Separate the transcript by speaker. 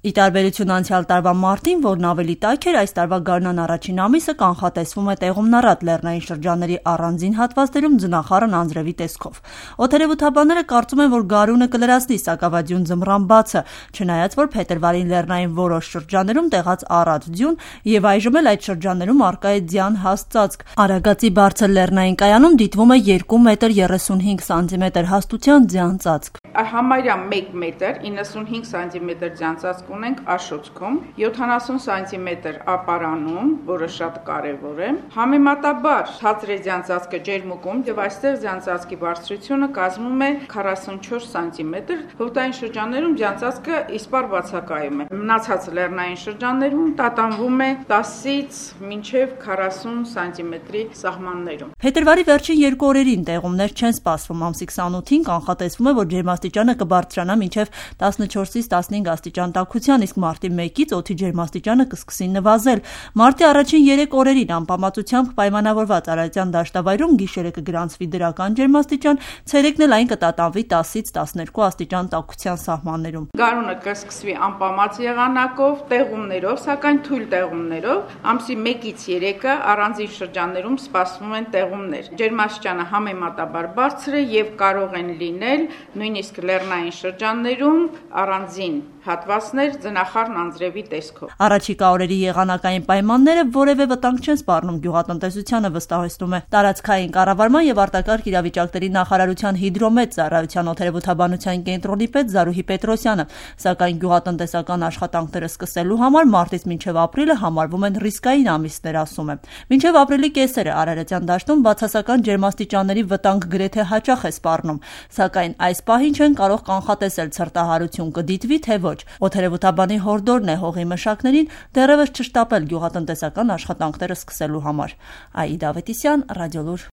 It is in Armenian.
Speaker 1: Ի տարբերություն անցյալ տարվա մարտին, որն ավելի տաք էր, այս տարվա գարնան առաջին ամիսը կանխատեսվում է տեղումնառատ լեռնային շրջանների առանձին հատվածներում ձնախառն անձրևի տեսքով։ Օդերևութաբանները կարծում են, որ գարունը կլրացնի սակավադյուն ձմռան բացը, չնայած որ փետրվարին լեռնային որոշ շրջաններում տեղաց առատ ձյուն եւ այժմ էլ այդ շրջաններում առկա է ձյան հաստ ծածկ։ Արագածի բարձր լեռնային կայանում դիտվում է 2 մետր 35 սանտիմետր հաստության ձյան ծածկ։
Speaker 2: Համարյա 1 մետր 95 սանտիմետր ձյան ծածկ ունենք Աշոցքում, 70 սանտիմետր Ապարանում, որը շատ կարևոր է։ Համեմատաբար ցածր է ձյան ծածկը Ջերմուկում եւ այստեղ ձյան ծածկի բարձրությունը կազմում է 44 սանտիմետր, հովտային շրջաններում ձյան ծածկը իսպառ բացակայում է։ Մնացած լեռնային շրջաններում տատանվում է 10-ից մինչև 40 սանտիմետրի սահմաններում։
Speaker 1: Փետրվարի վերջին 2 օրերին տեղումներ չեն սպասվում, ամսի 28-ին կանխատեսվում է, որ ջերմաստիճանը կբարձրանա մինչև 14-ից 15 աստիճան տաքության, իսկ մարտի 1-ից օդի ջերմաստիճանը կսկսի նվազել։ Մարտի առաջին 3 օրերին անպամատությամբ պայմանավորված արարատյան դաշտավայրում գիշերը կգրանցվի դրական ջերմաստիճան, ցերեկն էլ այն կտատանվի 10-ից 12 աստիճան տաքության սահմաններում։
Speaker 2: Գարունը կսկսվի անպամած եղանակով, տեղումներով, սակայն թույլ տեղումներով, ամսի 1-ից 3-ը առանձին շրջաններում սպասվում են տեղումներ։ Ջերմաստիճանը համեմատաբար բարձր է եւ կարող են լինել նույնիսկ լեռնային շրջաններում առանձին հատվածներ ձնախառն անձրևի տեսքով։
Speaker 1: Առաջիկա օրերի եղանակային պայմանները որևէ վտանգ չեն սպառնում գյուղատնտեսությանը, վստահեցնում է տարածքային կառավարման եւ արտակարգ իրավիճակների նախարարության հիդրոմետ ծառայության օդերևութաբանության կենտրոնի պետ Զարուհի Պետրոսյանը, սակայն գյուղատնտեսական աշխատանքները սկսելու համար մարտից մինչև ապրիլը համարվում են ռիսկային ամիսներ, ասում է։ Մինչև ապրիլի կեսերը արարատյան դաշտում բացասական ջերմաստիճանների վտանգ գրեթե հաճախ է սպառնում, սակայն այս պահին չեն կարող կանխատեսել ցրտահարություն կդիտվի թե ոչ։ Օդերևութաբանի հորդորն է հողի մշակներին դեռևս չշտապել գյուղատնտեսական աշխատանքները սկսելու համար։ Աիդա Ավետիսյան, Ռադիոլուր։